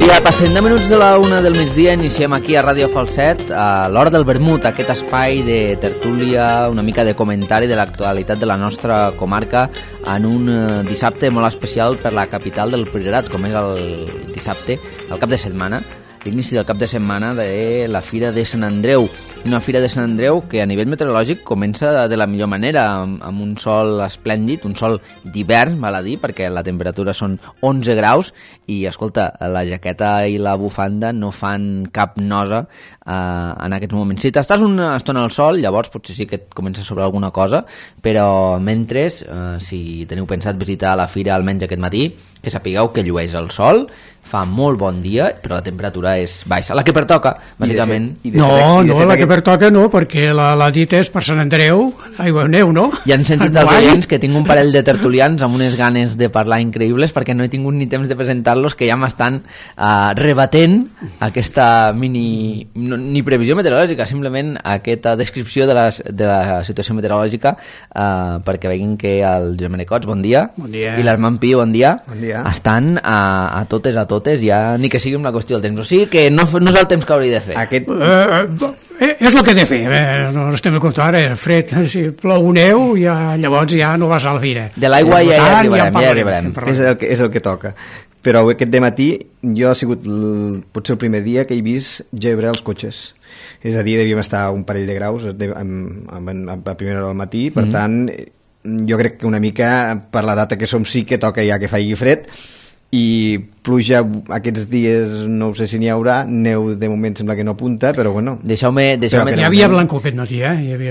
dia, passen 10 minuts de la 1 del migdia, iniciem aquí a Ràdio Falset a l'Hora del Vermut, aquest espai de tertúlia, una mica de comentari de l'actualitat de la nostra comarca en un dissabte molt especial per la capital del Priorat, com és el dissabte, el cap de setmana, l'inici del cap de setmana de la Fira de Sant Andreu. Una Fira de Sant Andreu que a nivell meteorològic comença de la millor manera, amb un sol esplèndid, un sol d'hivern, val a dir, perquè la temperatura són 11 graus i, escolta, la jaqueta i la bufanda no fan cap nosa en aquests moments. Si t'estàs una estona al sol, llavors potser sí que et comença a sobrar alguna cosa, però mentre, si teniu pensat visitar la fira almenys aquest matí, que sapigueu que llueix el sol, fa molt bon dia, però la temperatura és baixa. La que pertoca, bàsicament. No, la que pertoca no, perquè la dita és per Sant Andreu, aigua o neu, no? Ja han sentit els oients que tinc un parell de tertulians amb unes ganes de parlar increïbles, perquè no he tingut ni temps de presentar-los, que ja m'estan rebatent aquesta ni previsió meteorològica, simplement aquesta descripció de la situació meteorològica, perquè veguin que el Josep Maria Cots, bon dia, i l'Armand Pi, bon dia, estan a totes, ja ni que sigui una qüestió del temps, o sigui que no és el temps que hauria de fer. És el que he de fer, no estem a comptar, fred, si plou neu, llavors ja no vas a la fira. De l'aigua ja arribarem. És el que toca. Però aquest dematí jo ha sigut potser el primer dia que he vist gebre els cotxes. És a dir, devíem estar un parell de graus a primera hora del matí, per tant, jo crec que una mica per la data que som sí que toca ja que faci fred, i pluja aquests dies no sé si n'hi haurà, neu de moment sembla que no apunta, però bueno, deixeu-me hi havia blancor aquest matí,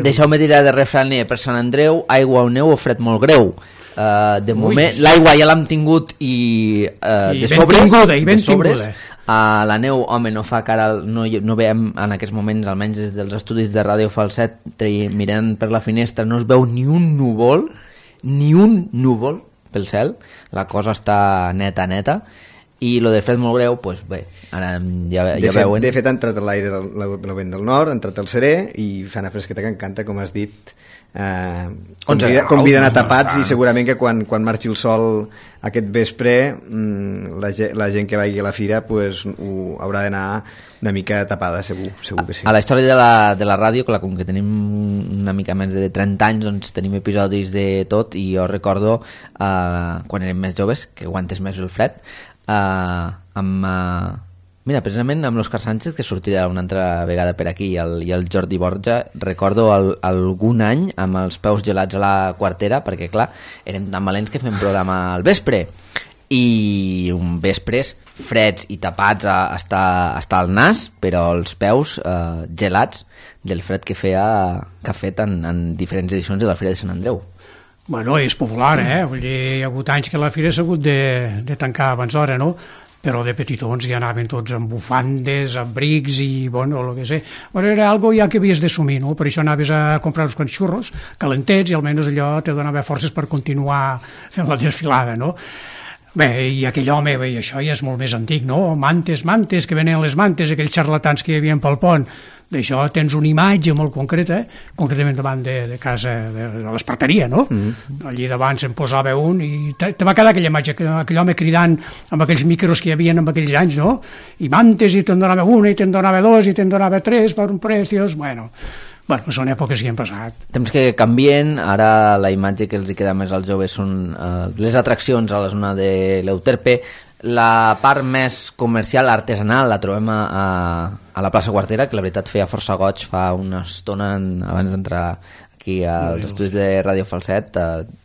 deixeu-me tirar de refraner per Sant Andreu, aigua o neu o fred molt greu. De moment l'aigua ja l'hem tingut i de sobres. La neu, home, no fa cara, no veiem en aquests moments, almenys des dels estudis de Ràdio Falset, mirant per la finestra, no es veu ni un núvol pel cel, la cosa està neta, i lo de fred molt greu, doncs bé, ara ja veuen. De fet ha entrat l'aire del vent del nord, ha entrat el serè i fa una fresqueta que encanta, com has dit, conviden a tapats, i segurament que quan marxi el sol aquest vespre la gent que vagi a la fira pues, haurà d'anar una mica tapada, segur que sí. A la història de la ràdio, clar, com que tenim una mica més de 30 anys, doncs tenim episodis de tot, i jo recordo quan érem més joves, que aguantes més el fred, mira, precisament amb l'Òscar Sánchez, que sortirà una altra vegada per aquí, i el Jordi Borja, recordo algun any amb els peus gelats a la quartera, perquè clar, érem tan valents que fem programa al vespre, i un vespres freds i tapats hasta el nas, però els peus gelats del fred que ha fet en diferents edicions de la Fira de Sant Andreu. Bueno, és popular, vull dir, hi ha hagut anys que la fira s'ha hagut de tancar abans d'hora, no? Però de petitons ja anaven tots amb bufandes, abrics i, bueno, el que sé. Bueno, era algo ja que havies d'assumir, no? Per això anaves a comprar uns quants xurros calentets i almenys allò te donava forces per continuar fent la desfilada, no? Bé, i aquell home, bé, això ja és molt més antic, no? Mantes, que venen les mantes, aquells xarlatans que hi havia pel pont. D'això tens una imatge molt concreta, concretament davant de casa, de l'esparteria, no? Allí davant se'n posava un i te va quedar aquella imatge, aquell home cridant amb aquells micros que hi havia en aquells anys, no? I mantes, i te'n donava una, i te'n donava dos, i te'n donava tres per un preciós, bueno, són èpoques que han passat. Temps que canvien, ara la imatge que els hi queda més als joves són les atraccions a la zona de l'Euterpe. La part més comercial, artesanal, la trobem a la plaça Quartera, que la veritat feia força goig fa una estona abans d'entrar aquí als estudis de Ràdio Falset,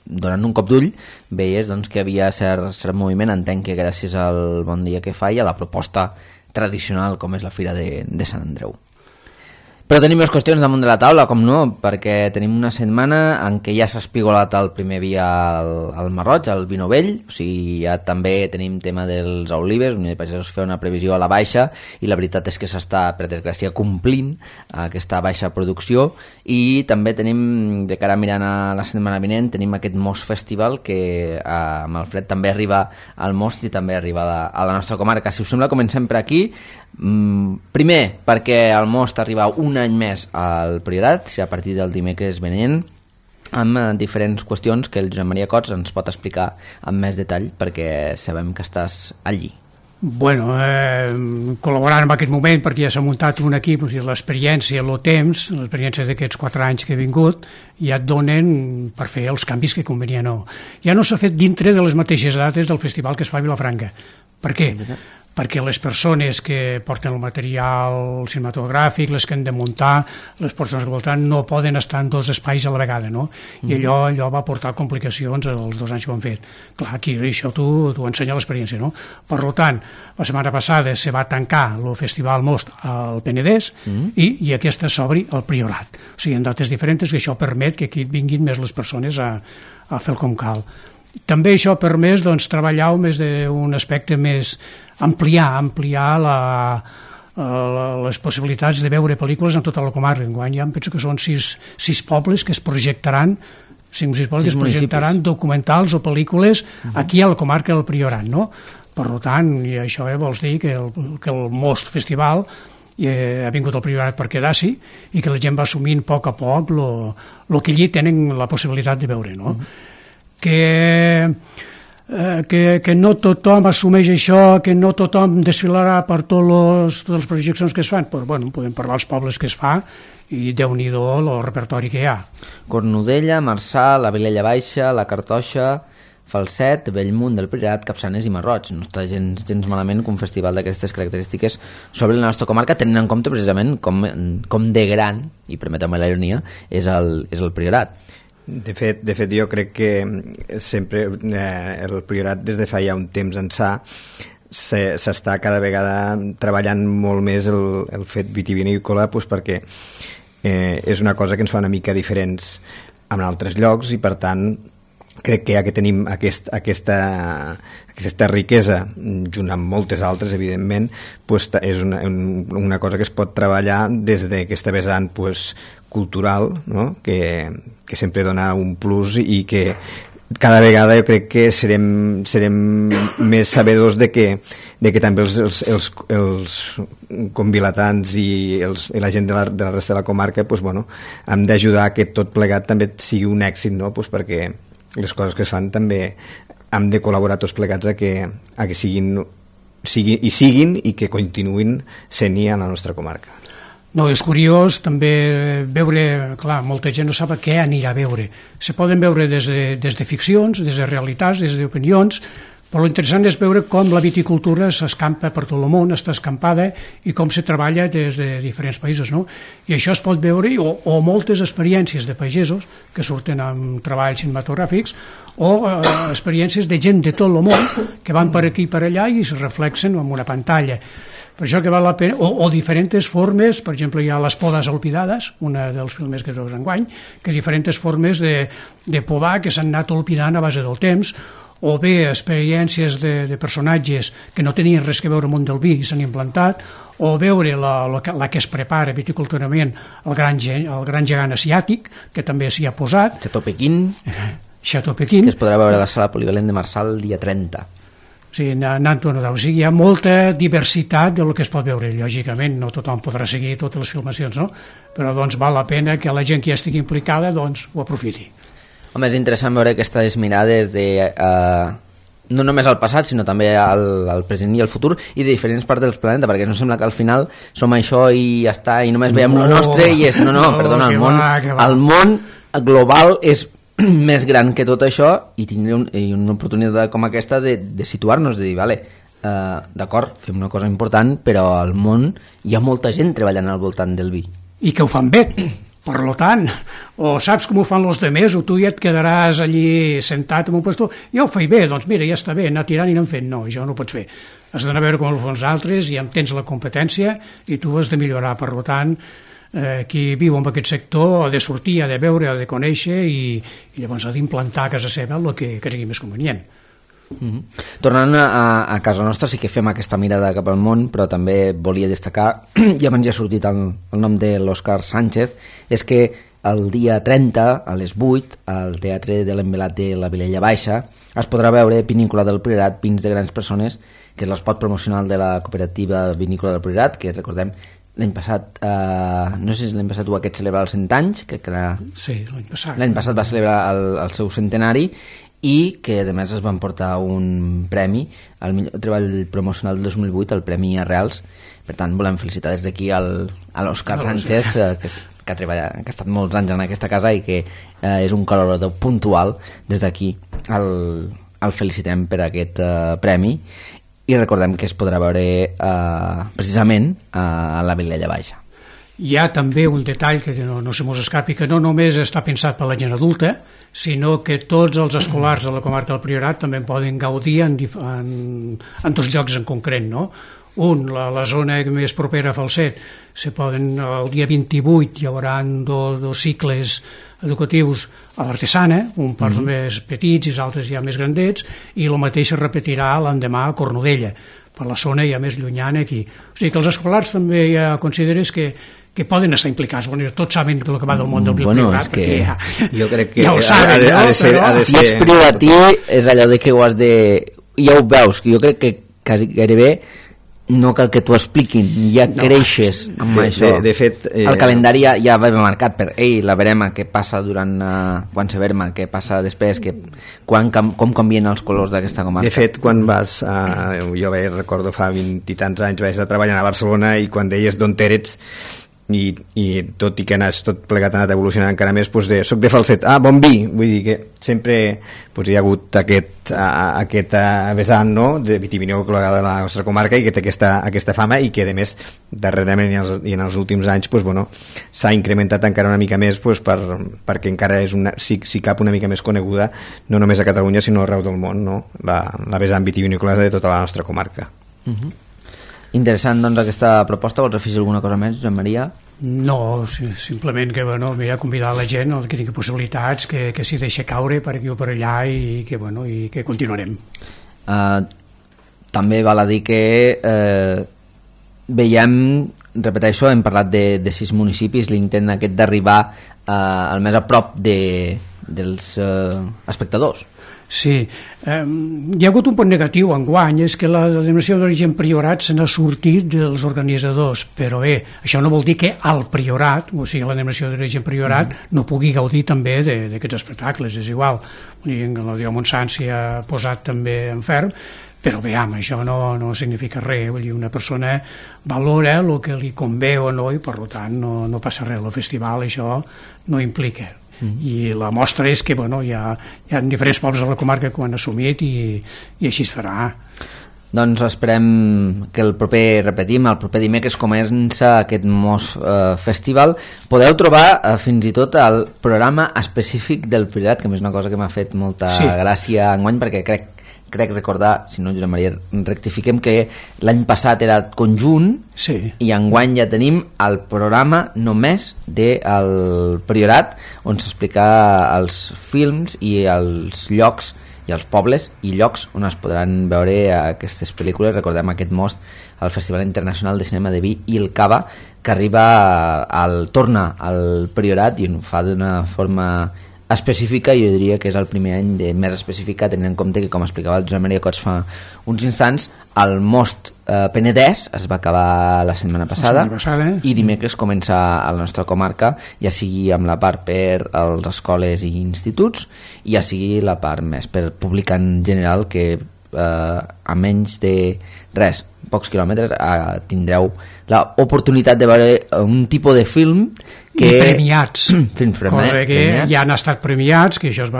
donant un cop d'ull, veies doncs, que havia cert moviment. Entenc que gràcies al bon dia que fa i a la proposta tradicional com és la Fira de Sant Andreu. Però tenim més qüestions damunt de la taula, com no, perquè tenim una setmana en què ja s'ha espigolat el primer vi al Marroig, el vi novell, o sigui, ja també tenim tema dels olives, Unió de Pagesos fa una previsió a la baixa, i la veritat és que s'està, per desgràcia, complint aquesta baixa producció, i també tenim, de cara mirant a la setmana vinent, tenim aquest Most Festival, que amb el fred també arriba al Most i també arriba a la nostra comarca. Si us sembla, comencem per aquí. Primer, perquè el Most arriba un any més al Priorat, a partir del dimecres venent, amb diferents qüestions que el Josep Maria Cots ens pot explicar amb més detall, perquè sabem que estàs allí. Bueno, col·laborant en aquest moment perquè ja s'ha muntat un equip, o sigui, l'experiència, el temps, l'experiència d'aquests 4 anys que he vingut, ja et donen per fer els canvis que convenien o no. Ja no s'ha fet dintre de les mateixes dates del festival que es fa a Vilafranca. Per què? Perquè les persones que porten el material cinematogràfic, les que han de muntar, les persones que voltant, no poden estar en 2 espais a la vegada, no? I allò va portar complicacions els 2 anys que ho han fet. Clar, aquí això t'ho ensenya l'experiència, no? Per tant, la setmana passada se va tancar el Festival Most al Penedès i aquesta s'obri al Priorat. O sigui, en dates diferents, que això permet que aquí vinguin més les persones a fer el com cal. També això ha permès treballar més d'un aspecte més ampliar les possibilitats de veure pel·lícules en tota la comarca. Enguany ja em penso que són 6 pobles que es projectaran 5 o 6 pobles que es projectaran documentals o pel·lícules aquí a la comarca del Priorat, no? Per tant, i això vols dir que el Most Festival ha vingut al Priorat per quedar-s'hi i que la gent va assumint a poc el que allí tenen la possibilitat de veure, no? Que no tothom assumeix això, que no tothom desfilarà per totes les projeccions que es fan, però bueno, podem parlar dels pobles que es fa i Déu-n'hi-do el repertori que hi ha. Cornudella, Marçà, la Vilella Baixa, la Cartoixa, Falset, Bellmunt del Priorat, Capçanes i Marroig. No està gens malament que un festival d'aquestes característiques sobre la nostra comarca, tenint en compte precisament com de gran, i permeteu-me la ironia, és el Priorat. De fet, jo crec que sempre el Priorat des de fa ja un temps ençà s'està cada vegada treballant molt més el fet vitivinícola, perquè és una cosa que ens fa una mica diferents en altres llocs i per tant crec que ja que tenim aquesta riquesa junt amb moltes altres evidentment, és una cosa que es pot treballar des d'aquesta vessant cultural, no? que sempre dona un plus i que cada vegada jo crec que serem més sabedors de que també els convilatans i la gent de la resta de la comarca hem d'ajudar que tot plegat també sigui un èxit, no? Perquè les coses que es fan també hem de col·laborar tots plegats a que siguin i que continuïn sent-hi a la nostra comarca. No, és curiós també veure, clar, molta gent no sap què anirà a veure. Se poden veure des de ficcions, des de realitats, des d'opinions, però l'interessant és veure com la viticultura s'escampa per tot el món, està escampada, i com se treballa des de diferents països, no? I això es pot veure, o moltes experiències de pagesos que surten amb treballs cinematogràfics, o experiències de gent de tot el món que van per aquí i per allà i es reflexen en una pantalla. Per això que val la pena, o diferents formes, per exemple hi ha Les podes olvidades, una dels films que es veu enguany, que diferents formes de podar que s'han anat olvidant a base del temps, o bé experiències de personatges que no tenien res que veure amb el món del vi i s'han implantat, o veure la que es prepara viticulturalment el gran gegant asiàtic, que també s'hi ha posat. Chateau Pequín, que es podrà veure a la sala polivalent de Marçà el dia 30. Sí, hi ha molta diversitat del que es pot veure. Lògicament no tothom podrà seguir totes les filmacions, no? Però val la pena que la gent que ja estigui implicada ho aprofiti. Home, és interessant veure aquestes mirades no només al passat, sinó també al present i al futur i de diferents parts del planeta, perquè no sembla que al final som això i ja està, i només veiem el nostre i és... Perdona, el món global és més gran que tot això i tindre una oportunitat com aquesta de situar-nos, de dir, vale, d'acord, fem una cosa important, però al món hi ha molta gent treballant al voltant del vi. I que ho fan bé, per tant, o saps com ho fan els demés, o tu ja et quedaràs allí sentat en un puesto, ja ho faig bé, doncs mira, ja està bé, anar tirant i anar fent. No, això no ho pots fer. Has d'anar a veure com ho fan els altres i tens la competència i tu has de millorar, per tant, qui viu en aquest sector ha de sortir, ha de veure, ha de conèixer i llavors ha d'implantar a casa seva el que cregui més convenient. Tornant a casa nostra, sí que fem aquesta mirada cap al món, però també volia destacar, ja abans ja ha sortit el nom de l'Òscar Sánchez, és que el dia 30 a les 8 al Teatre de l'Envelat de la Vilella Baixa es podrà veure Vinícola del Priorat, vins de grans persones, que és l'espot promocional de la cooperativa Vinícola del Priorat, que recordem l'any passat, no sé si l'any passat o aquest celebrar els 100 anys, crec que sí, l'any passat. L'any passat va celebrar el seu centenari i que a més es van portar un premi al millor treball promocional del 2008, el Premi Arrels. Per tant, volem felicitar des d'aquí a l'Òscar Sánchez, que ha estat molts anys en aquesta casa i que és un col·laborador puntual. Des d'aquí el felicitem per aquest premi i recordem que es podrà veure precisament a la Vilella Baixa. Hi ha també un detall que no se mos escapi, que no només està pensat per la gent adulta, sinó que tots els escolars de la comarca del Priorat també en poden gaudir en dos llocs en concret, no? Un, la zona més propera a Falset, el dia 28 hi haurà dos cicles educatius a l'Artesana, un per més petits i els altres ja més grandets, i el mateix es repetirà l'endemà a Cornudella, per la zona ja més llunyana aquí. O sigui que els escolars també ja consideres que poden estar implicats. Bueno, tots saben el que va del món del Priorat, perquè jo crec que ja ho saben, ha de ser, si ets prioratí és allò de que ho has de... Ja ho veus, que jo crec que quasi gairebé no cal que t'ho expliquin, ja creixes amb això. De fet, el calendari ja va marcat per la verema, què passa durant quan se verma, què passa després, com canvien els colors d'aquesta comarca. De fet, quan vas jo recordo fa 20 i tants anys vaig estar treballant a Barcelona i quan deies d'on eres i tot i que tot plegat ha anat evolucionant encara més, doncs soc de Falset, bon vi, vull dir que sempre hi ha hagut aquest vessant, no?, de vitivinícola de la nostra comarca i que té aquesta fama i que a més darrerament i en els últims anys s'ha incrementat encara una mica més perquè encara és si cap una mica més coneguda no només a Catalunya sinó arreu del món, no?, la vessant vitivinícola de tota la nostra comarca. Interessant, doncs, aquesta proposta. Vols afegir alguna cosa més, Joan Maria? No, simplement que convidar la gent que tingui possibilitats, que s'hi deixi caure per aquí o per allà i que continuarem. També val a dir que veiem, repeteixo, hem parlat de 6 municipis, l'intent aquest d'arribar al més a prop dels espectadors. Sí, hi ha hagut un punt negatiu enguany, és que la denominació d'origen Priorat se n'ha sortit dels organitzadors, però bé, això no vol dir que el Priorat, o sigui la denominació d'origen Priorat, no pugui gaudir també d'aquests espectacles, és igual. La Dió Montsant s'hi ha posat també en ferm, però bé, això no significa res, vull dir, una persona valora el que li convé o no i per tant no passa res, el festival això no implica. I la mostra és que hi ha diferents pobles de la comarca que ho han assumit i així es farà. Doncs esperem que el proper dimecres comença aquest Mos Festival. Podeu trobar fins i tot el programa específic del Priorat, que és una cosa que m'ha fet molta gràcia enguany, perquè crec recordar, si no Josep Maria rectifiquem, que l'any passat era conjunt i enguany ja tenim el programa només del Priorat on s'explica els films i els llocs i els pobles i llocs on es podran veure aquestes pel·lícules. Recordem aquest most al Festival Internacional de Cinema de Vi i el Cava, que torna al Priorat i ho fa d'una forma específica, i jo diria que és el primer any més específica, tenint en compte que, com explicava el Josep Maria Cots fa uns instants, el most Penedès es va acabar la setmana passada i dimecres comença a la nostra comarca, ja sigui amb la part per les escoles i instituts i ja sigui la part més per públic en general, que a menys de pocs quilòmetres tindreu l'oportunitat de veure un tipus de film i premiats, cosa que ja han estat premiats, que això se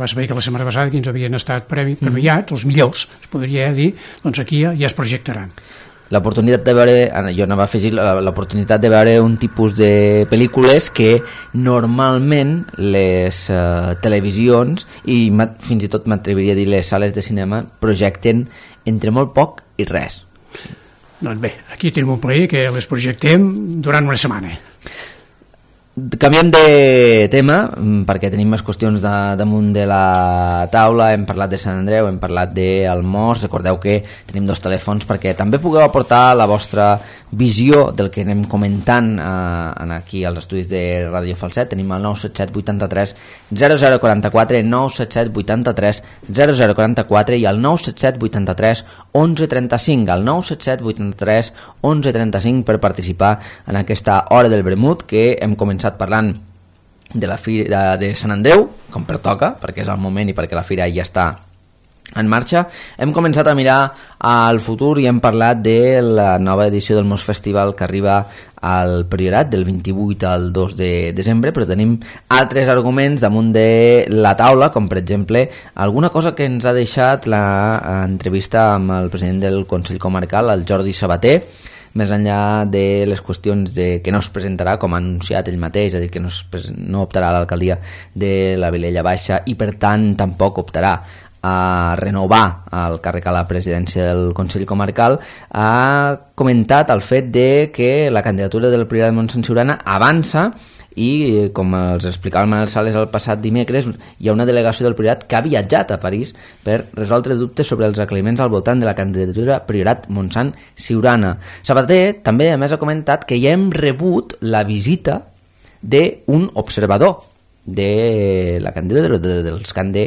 va saber que la setmana passada que ens havien estat premiats, els millors, es podria dir, doncs aquí ja es projectaran. L'oportunitat de veure, jo anava a afegir l'oportunitat de veure un tipus de pel·lícules que normalment les televisions i fins i tot m'atreviria a dir les sales de cinema projecten entre molt poc i res. Doncs bé, aquí tenim un plaer que les projectem durant una setmana. Canviem de tema perquè tenim més qüestions damunt de la taula. Hem parlat de Sant Andreu, hem parlat del Mos. Recordeu que tenim 2 telèfons perquè també pugueu aportar la vostra visió del que anem comentant aquí als estudis de Ràdio Falset. Tenim el 977 83 0044, 977 83 0044 i el 977 83 1135, el 977 83 1135 per participar en aquesta hora del vermut, que hem començat parlant de la Fira de Sant Andreu, com pertoca, perquè és el moment i perquè la fira ja està en marxa. Hem començat a mirar al futur i hem parlat de la nova edició del Mos Festival que arriba al Priorat del 28 al 2 de desembre, però tenim altres arguments damunt de la taula, com per exemple alguna cosa que ens ha deixat l'entrevista amb el president del Consell Comarcal, el Jordi Sabater, més enllà de les qüestions de que no es presentarà, com ha anunciat ell mateix, és a dir, que no optarà a l'alcaldia de la Vilella Baixa i per tant tampoc optarà a renovar el càrrec a la presidència del Consell Comarcal, ha comentat el fet de que la candidatura del Priorat de Montsant Siurana avança i, com els explicava el Manel Sales el passat dimecres, hi ha una delegació del Priorat que ha viatjat a París per resoldre dubtes sobre els aclariments al voltant de la candidatura Priorat Montsant Siurana. Sabater també a més ha comentat que ja hem rebut la visita d'un observador de la candidatura, dels que han de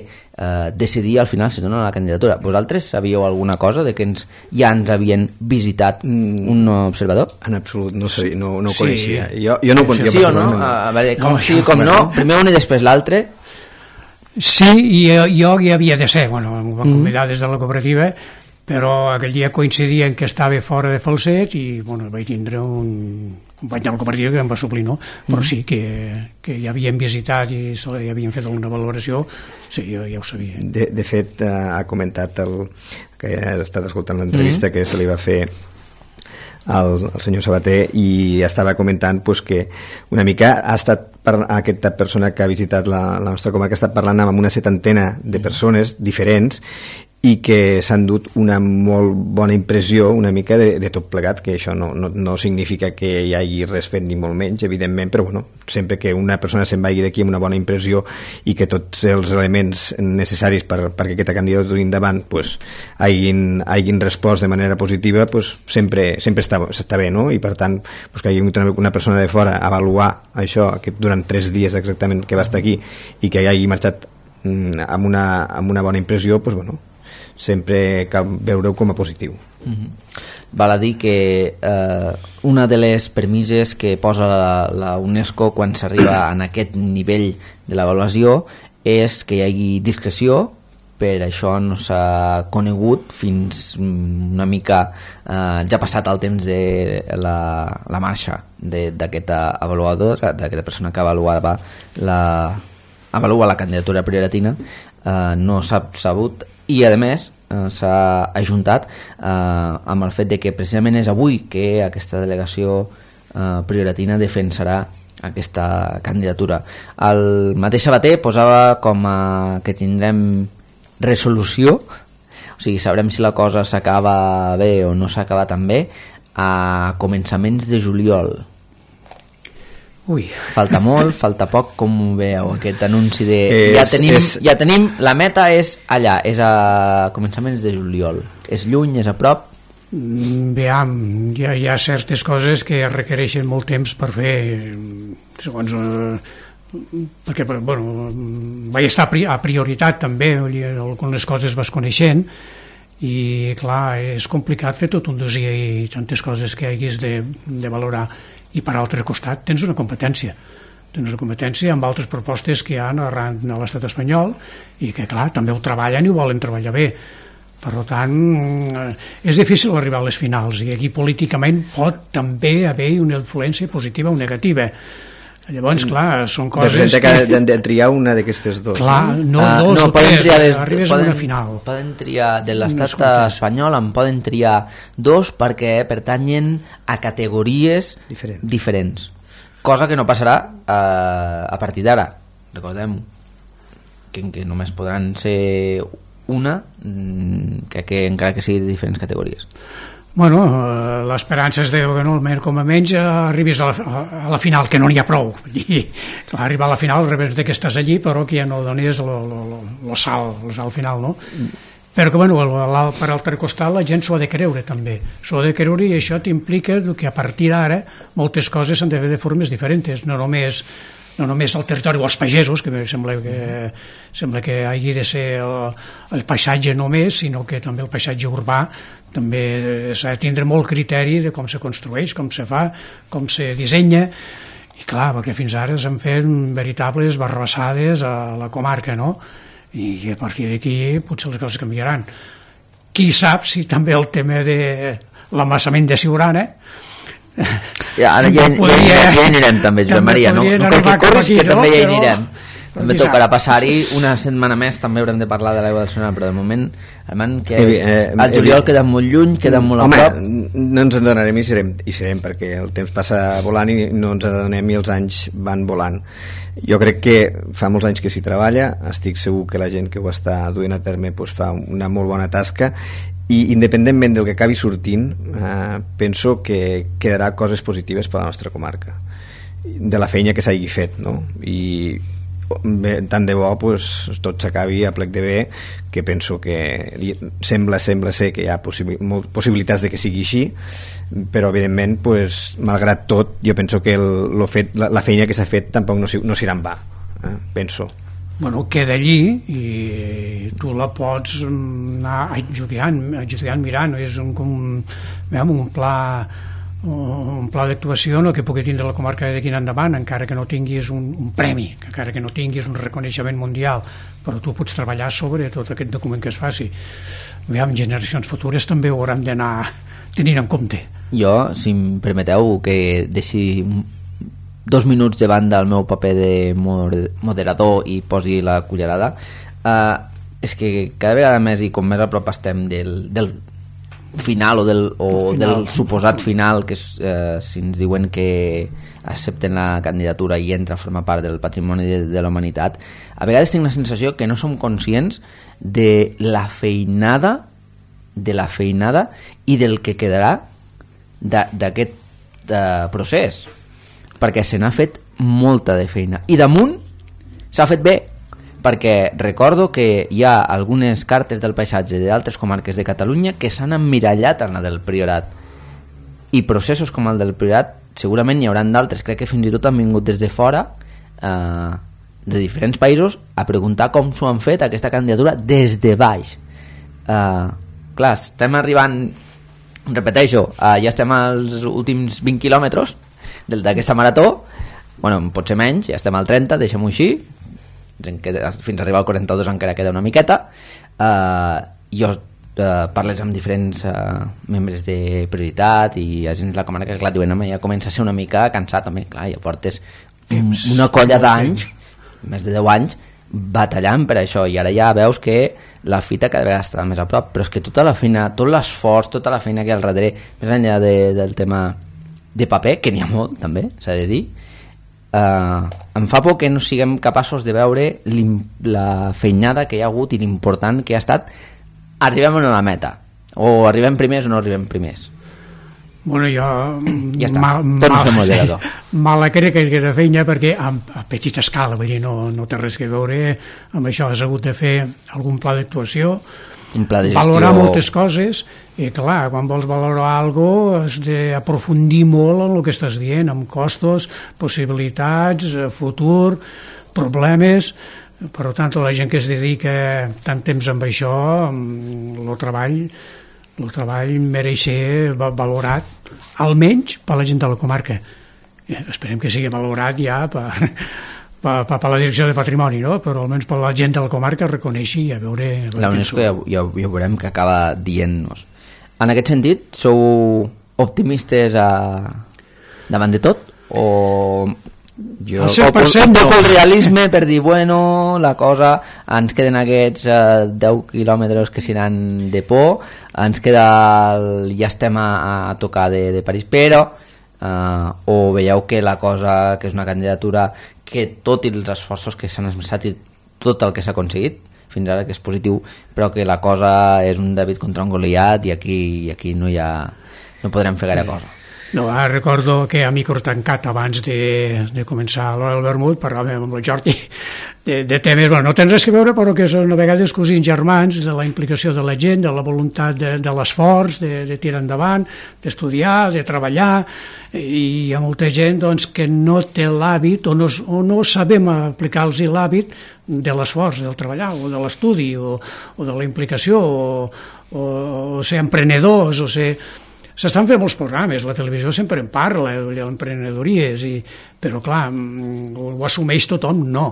decidir al final si donen la candidatura. Vosaltres sabíeu alguna cosa de que ja ens havien visitat un observador? En absolut, no sabia, no ho coneixia. Jo no ho coneixia. Sí o no? A veure, com sí, com no, primer un i després l'altre. Sí, i jo hi havia de ser, bueno, em van convidar des de la cooperativa, però aquell dia coincidia en que estava fora de Falset i bueno, vaig tindre un company de la cooperativa que em va suplir, no? Però sí, que ja havien visitat i ja havien fet alguna valoració, sí, jo ja ho sabia. De fet, ha comentat que ha estat escoltant l'entrevista que se li va fer al senyor Sabater i estava comentant pues, que una mica ha estat aquesta persona que ha visitat la nostra comarca ha estat parlant amb una 70 de persones diferents i que s'han dut una molt bona impressió una mica de tot plegat, que això no significa que hi hagi res fet ni molt menys, evidentment, però bueno, sempre que una persona se'n vagi d'aquí amb una bona impressió i que tots els elements necessaris perquè aquesta candidatura endavant pues, hagin respost de manera positiva, pues, sempre està bé, no? I per tant pues, que hi hagi una persona de fora a avaluar això, que durant 3 dies exactament que va estar aquí i que hagi marxat amb una bona impressió, pues, bueno, sempre cal veure-ho com a positiu. Val a dir que una de les premisses que posa la UNESCO quan s'arriba en aquest nivell de l'avaluació és que hi hagi discreció. Per això no s'ha conegut fins una mica ja passat el temps de la marxa d'aquesta avaluadora, d'aquesta persona que avalua la candidatura prioratina. No s'ha sabut i a més s'ha ajuntat amb el fet de que precisament és avui que aquesta delegació prioratina defensarà aquesta candidatura. El mateix Sabater posava com que tindrem resolució, o sigui, sabrem si la cosa s'acaba bé o no s'acaba tan bé a començaments de juliol. Ui. Falta molt, falta poc, com ho veieu aquest anunci de ja tenim, la meta és allà, és a començaments de juliol, és lluny, és a prop? Veam, hi ha certes coses que requereixen molt temps per fer, segons perquè bueno, vaig estar a prioritat també, algunes coses vas coneixent i clar, és complicat fer tot un dossier i tantes coses que haguis de valorar. I per altre costat tens una competència amb altres propostes que hi ha arran de l'estat espanyol i que clar, també ho treballen i ho volen treballar bé, per tant és difícil arribar a les finals i aquí políticament pot també haver una influència positiva o negativa. Llavors, clar, són coses que han de triar una d'aquestes dos. Clar, dos o tres, arribes a una final. Poden triar, de l'estat espanyol en poden triar 2 perquè pertanyen a categories diferents. Cosa que no passarà a partir d'ara. Recordem que només podran ser una, que encara que sigui de diferents categories. Bueno, l'esperança és que almenys com a menys arribis a la final, que no n'hi ha prou. I, clar, arribar a la final rebes que estàs allí, però que ja no donis el salt final, no? Però que, bueno, per altre costat la gent s'ho ha de creure també. S'ho ha de creure i això t'implica que a partir d'ara moltes coses s'han de fer de formes diferents, no només el territori o els pagesos, que sembla que hagi de ser el paisatge només, sinó que també el paisatge urbà també s'ha de tindre molt criteri de com se construeix, com se fa, com se dissenya, I clar, perquè fins ara s'han fet veritables barrabassades a la comarca, no? I a partir d'aquí potser les coses canviaran. Qui sap si també el tema de l'amassament de Siurana ja anirem també, Josep Maria, no cal que corris, que també hi anirem. També tocarà passar-hi una setmana més, també haurem de parlar de l'aigua del Siurana, però de moment el juliol queda molt lluny, queda molt a prop. No ens en donarem i serem, perquè el temps passa volant i no ens adonem i els anys van volant. Jo crec que fa molts anys que s'hi treballa, estic segur que la gent que ho està duent a terme fa una molt bona tasca, i independentment del que acabi sortint, penso que quedarà coses positives per a la nostra comarca, de la feina que s'hagi fet, no? I tant de bo tot s'acabi a plec de bé, que penso que sembla ser que hi ha possibilitats de que sigui així, però evidentment malgrat tot jo penso que la feina que s'ha fet tampoc no s'irà en va, penso. Bueno, queda allí i tu la pots anar adjudicant mirant, és un pla d'actuació que pugui tindre la comarca d'aquí en endavant, encara que no tinguis un premi, encara que no tinguis un reconeixement mundial, però tu pots treballar sobre tot aquest document que es faci. Generacions futures també ho hauran d'anar tenint en compte. Jo, si em permeteu que deixi 2 minuts davant del meu paper de moderador i posi la cullerada, és que cada vegada més i com més a prop estem del final o del suposat final, que si ens diuen que accepten la candidatura i entra a formar part del patrimoni de la humanitat, a vegades tinc la sensació que no som conscients de la feinada i del que quedarà d'aquest procés, perquè se n'ha fet molta de feina i damunt s'ha fet bé, perquè recordo que hi ha algunes cartes del paisatge d'altres comarques de Catalunya que s'han emmirallat en la del Priorat, i processos com el del Priorat segurament hi hauran d'altres. Crec que fins i tot han vingut des de fora, de diferents països, a preguntar com s'ho han fet aquesta candidatura des de baix. Clar, estem arribant, repeteixo, ja estem als últims 20 quilòmetres d'aquesta marató, bueno, pot ser menys, ja estem al 30, deixem-ho així, fins a arribar al 42 encara queda una miqueta. Jo parles amb diferents membres de Prioritat i agents de la comarca que clar, diuen, ja comença a ser una mica cansat també, clar, ja portes una colla d'anys, més de 10 anys batallant per això, i ara ja veus que la fita cada vegada està més a prop, però és que tota la feina, tot l'esforç, tota la feina que hi ha al darrere, més enllà del tema de paper, que n'hi ha molt també, s'ha de dir, em fa por que no siguem capaços de veure la feinada que hi ha hagut i l'important que ha estat. Arribem a la meta, o arribem primers o no arribem primers. Bueno, jo ja està, torno a ser moderador. Mala crec que queda feina, perquè a petita escala, vull dir, no té res que veure amb això. Has hagut de fer algun pla d'actuació, un pla de gestió, valorar moltes coses, i clar, quan vols valorar alguna cosa has d'aprofundir molt en el que estàs dient, amb costos, possibilitats, futur, problemes. Per tant, la gent que es dedica tant temps amb això, el treball mereix ser valorat, almenys per la gent de la comarca. Esperem que sigui valorat ja per la direcció de patrimoni, no? Però almenys per la gent de la comarca reconeixi i a veure... La UNESCO ja veurem que acaba dient-nos. En aquest sentit, sou optimistes davant de tot? O jo el 100% no. El realisme per dir, bueno, la cosa, ens queden aquests 10 quilòmetres que seran de por, ens queda ja estem a tocar de París, però o veieu que la cosa, que és una candidatura que tot i els esforços que s'han esmerçat i tot el que s'ha aconseguit fins ara, que és positiu, però que la cosa és un David contra un Goliat i aquí no podrem fer gaire cosa. No, recordo que a micro tancat abans de començar l'hora del vermut parlàvem amb el Jordi de temes, bueno, no tens res que veure, però que són a vegades cosins germans, de la implicació de la gent, de la voluntat de l'esforç, de tirar endavant, d'estudiar, de treballar, i hi ha molta gent doncs, que no té l'hàbit o no sabem aplicar-los l'hàbit de l'esforç, del treballar, o de l'estudi, o de la implicació, o ser emprenedors, o ser... s'estan fent molts programes, la televisió sempre en parla, d'emprenedories, però clar, ho assumeix tothom, no,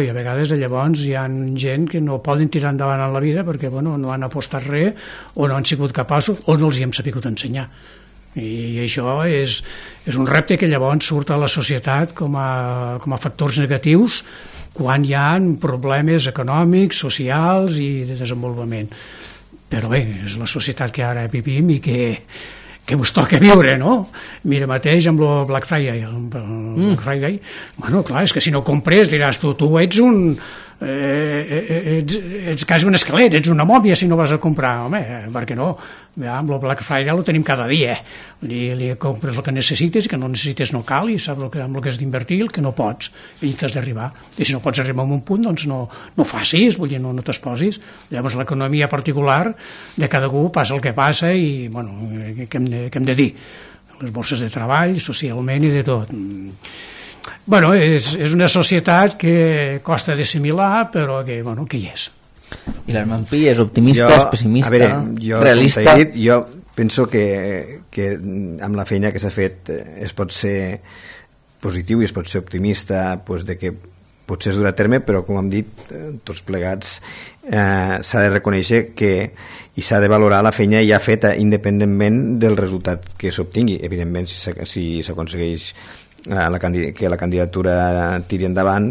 i a vegades llavors hi ha gent que no poden tirar endavant en la vida perquè no han apostat res o no han sigut capaços o no els hi hem sabut ensenyar. I això és un repte que llavors surt a la societat com a factors negatius quan hi ha problemes econòmics, socials i de desenvolupament. Però bé, és la societat que ara vivim i que us toca viure, no? Mira mateix amb el Black Friday. Bueno, clar, és que si no compres diràs tu ets ets quasi un esquelet, ets una mòmia si no vas a comprar. Home, per què no? Amb el Black Friday ho tenim cada dia. Li compres el que necessites i que no necessites no cal i saps amb el que has d'invertir i el que no pots i t'has d'arribar. I si no pots arribar a un punt, doncs no facis, vull dir, no t'exposis. Llavors l'economia particular de cada un passa el que passa i, bueno, què hem de dir? Les borses de treball, socialment i de tot. Bueno, és una societat que costa d'assimilar, però que hi és. I l'Herman Pi és optimista, és pessimista, realista? Jo penso que amb la feina que s'ha fet es pot ser positiu i es pot ser optimista, de que potser es durà a terme, però com hem dit tots plegats, s'ha de reconèixer i s'ha de valorar la feina ja feta independentment del resultat que s'obtingui. Evidentment, si s'aconsegueix que la candidatura tiri endavant,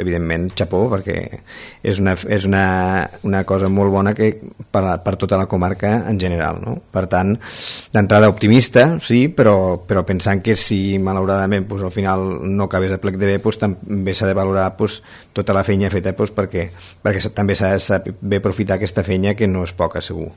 evidentment xapó, perquè és una cosa molt bona per tota la comarca en general, no? Per tant, d'entrada optimista, sí, però pensant que si malauradament al final no acabés a plec de bé, també s'ha de valorar tota la feina feta perquè també s'ha de saber aprofitar aquesta feina, que no és poca, segur.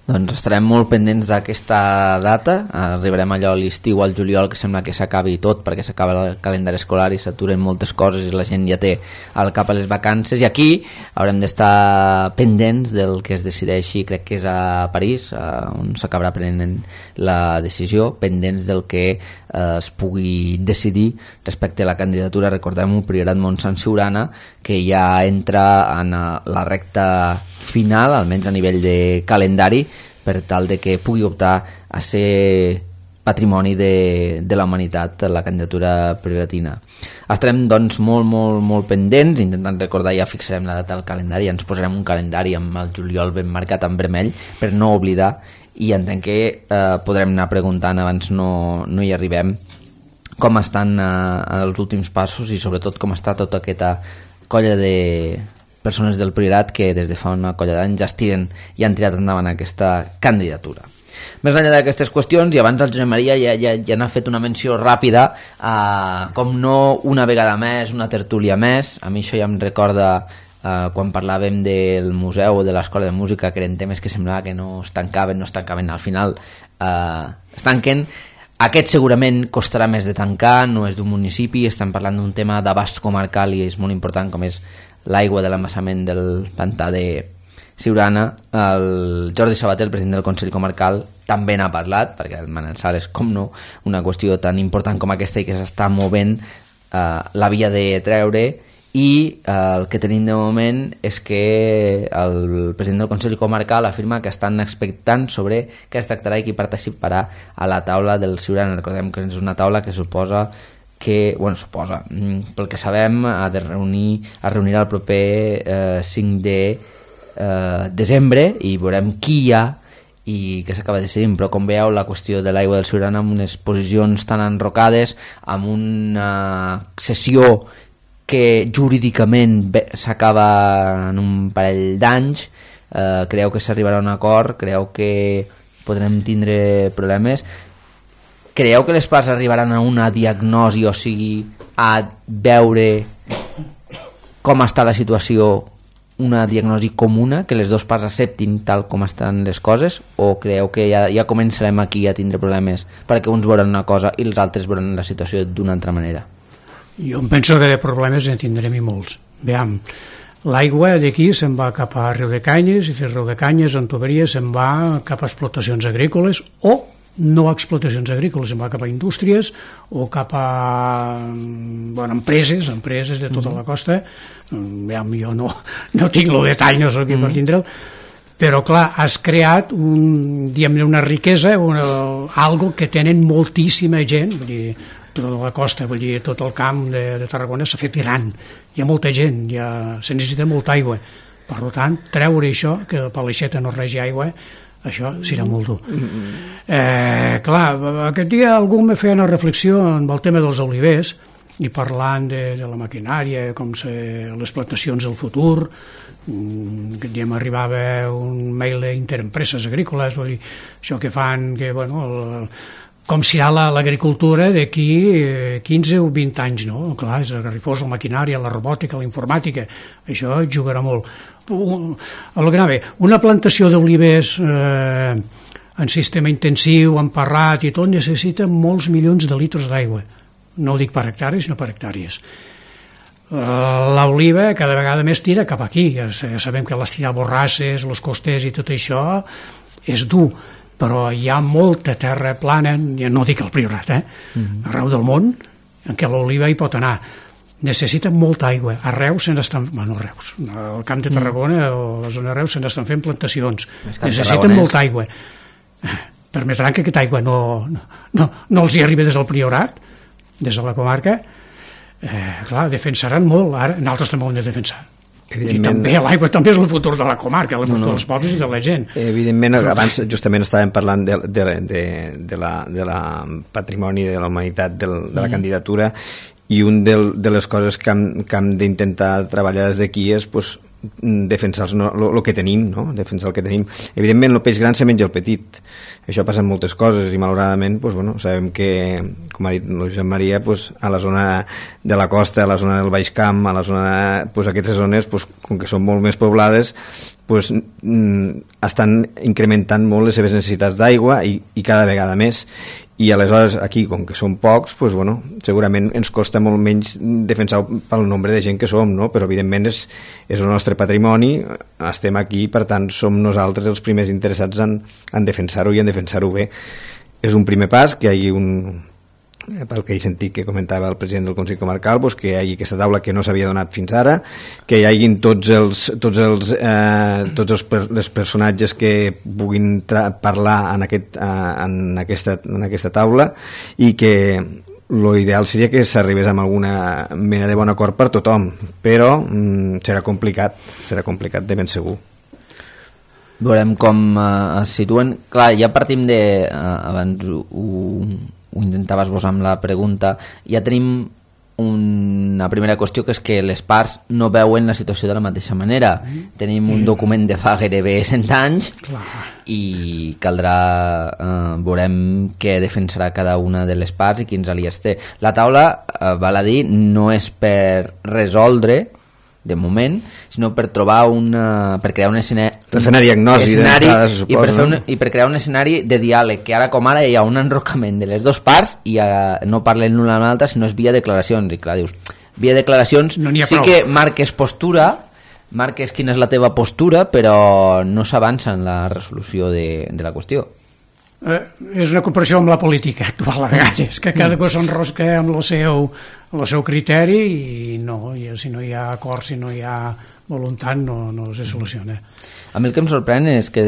Doncs estarem molt pendents d'aquesta data. Arribarem allò a l'estiu, al juliol, que sembla que s'acabi tot perquè s'acaba el calendari escolar i s'aturen moltes coses i la gent ja té al cap a les vacances, i aquí haurem d'estar pendents del que es decideixi, crec que és a París on s'acabarà prenent la decisió, pendents del que es pugui decidir respecte a la candidatura. Recordem el Priorat Montsant Siurana, que ja entra en la recta final, almenys a nivell de calendari, per tal de que pugui optar a ser patrimoni de la humanitat, la candidatura prioratina. Estarem doncs molt pendents, intentant recordar, ja fixarem la data del calendari, ja ens posarem un calendari amb el juliol ben marcat en vermell per no oblidar, i entenc que podrem anar preguntant abans no hi arribem com estan els últims passos i sobretot com està tota aquesta colla de persones del Priorat que des de fa una colla d'anys ja han tirat endavant aquesta candidatura. Més enllà d'aquestes qüestions, i abans el Josep Maria ja n'ha fet una menció ràpida, com no una vegada més, una tertúlia més. A mi això ja em recorda quan parlàvem del museu o de l'escola de música, que eren temes que semblava que no es tancaven, al final es tanquen. Aquest segurament costarà més de tancar, no és d'un municipi, estem parlant d'un tema d'abast comarcal i és molt important, com és l'aigua de l'embassament del pantà de Siurana. El Jordi Sabater, el president del Consell Comarcal, també n'ha parlat, perquè el Manel Sales, com no, una qüestió tan important com aquesta i que s'està movent, l'havia de treure, i el que tenim de moment és que el president del Consell Comarcal afirma que estan expectant sobre què es tractarà i qui participarà a la taula del Siurana. Recordem que és una taula que suposa, pel que sabem, es reunirà el proper 5 de desembre i veurem qui hi ha i que s'acaba decidint, però com veieu la qüestió de l'aigua del Siurana amb unes posicions tan enrocades, amb una sessió que jurídicament s'acaba en un parell d'anys, creu que s'arribarà a un acord, creu que podrem tindre problemes, creu que les parts arribaran a una diagnosi, o sigui, a veure com està la situació, una diagnosi comuna, que les dues parts acceptin tal com estan les coses, o creu que ja començarem aquí a tindre problemes perquè uns veuran una cosa i els altres veuran la situació d'una altra manera? Jo em penso que de problemes en tindrem i molts. Veam, l'aigua d'aquí se'n va cap a Riu de Canyes, i de Riu de Canyes en tuberia se'n va cap a explotacions agrícoles o no explotacions agrícoles, se'n va cap a indústries o cap a empreses de tota la costa. Veam, jo no tinc el detall, no sé qui per tindre'l, però clar, has creat una riquesa, algo que tenen moltíssima gent, vull dir, tota la costa, vull dir, tot el camp de Tarragona s'ha fet gran, hi ha molta gent, se necessita molta aigua, per tant, treure això, que per l'aixeta no regi aigua, això serà molt dur. Clar, aquest dia algú me feia una reflexió amb el tema dels olivers, i parlant de la maquinària, com les plantacions del futur. Aquest dia m'arribava un mail d'Interempreses Agrícoles, vull dir, això que fan, que, bueno, com serà l'agricultura d'aquí 15 o 20 anys, no? Clar, és agarrifós, la maquinària, la robòtica, la informàtica, això jugarà molt. Una plantació d'olivers en sistema intensiu, emparrat i tot, necessita molts milions de litres d'aigua. No ho dic per hectàrees, sinó per hectàrees. L'oliva cada vegada més tira cap aquí. Ja sabem que l'estirar borrasses, els costers i tot això és dur, però hi ha molta terra plana, no dic el Priorat, arreu del món, en què l'oliva hi pot anar. Necessita molta aigua. A Reus se n'estan... Bueno, Reus. Al Camp de Tarragona o a la zona de Reus se n'estan fent plantacions. Necessiten molta aigua. Permetran que aquesta aigua no els hi arribi des del Priorat, des de la comarca. Clar, defensaran molt. Ara, nosaltres també ho hem de defensar. I també l'aigua també és el futur de la comarca, el futur dels pobles i de la gent. Evidentment, abans justament estàvem parlant de la patrimoni de la humanitat, de la candidatura, i un de les coses que hem d'intentar treballar des d'aquí és defensar el que tenim, no? Defensar el que tenim. Evidentment, el peix gran se menja el petit. Això passa en moltes coses i malauradament sabem que, com ha dit el Josep Maria, a la zona de la costa, a la zona del Baix Camp, a la zona, aquestes zones, com que són molt més poblades, estan incrementant molt les seves necessitats d'aigua i cada vegada més. I aleshores aquí, com que són pocs, segurament ens costa molt menys defensar pel nombre de gent que som, no? Però evidentment és el nostre patrimoni, estem aquí, per tant som nosaltres els primers interessats en defensar-ho i en defensar-ho bé. És un primer pas que hi hagi pel que he sentit que comentava el president del Consell Comarcal, que hi hagi aquesta taula que no s'havia donat fins ara, que hi hagin tots els personatges que puguin parlar en aquesta taula, i que l'ideal seria que s'arribés amb alguna mena de bon acord per tothom, però serà complicat de ben segur. Veurem com es situen. Clar, ja partim de... abans ho intentava esbossar amb la pregunta, ja tenim una primera qüestió, que és que les parts no veuen la situació de la mateixa manera. Tenim un document de fa gairebé 100 anys i caldrà veurem què defensarà cada una de les parts i quins aliats té. La taula, val a dir, no és per resoldre de moment, sinó per trobar per crear un escenari, per fer una diagnosi i per crear un escenari de diàleg, que ara com ara hi ha un enrocament de les dues parts i no parlen l'una a l'altra, sinó és via declaracions. I clar, dius, via declaracions sí que marques postura, marques quina és la teva postura, però no s'avança en la resolució de la qüestió. És una comparació amb la política actual a vegades, que cada cosa s'enrosca amb el seu criteri i si no hi ha acord, si no hi ha voluntat, no se soluciona. A mi el que em sorprèn és que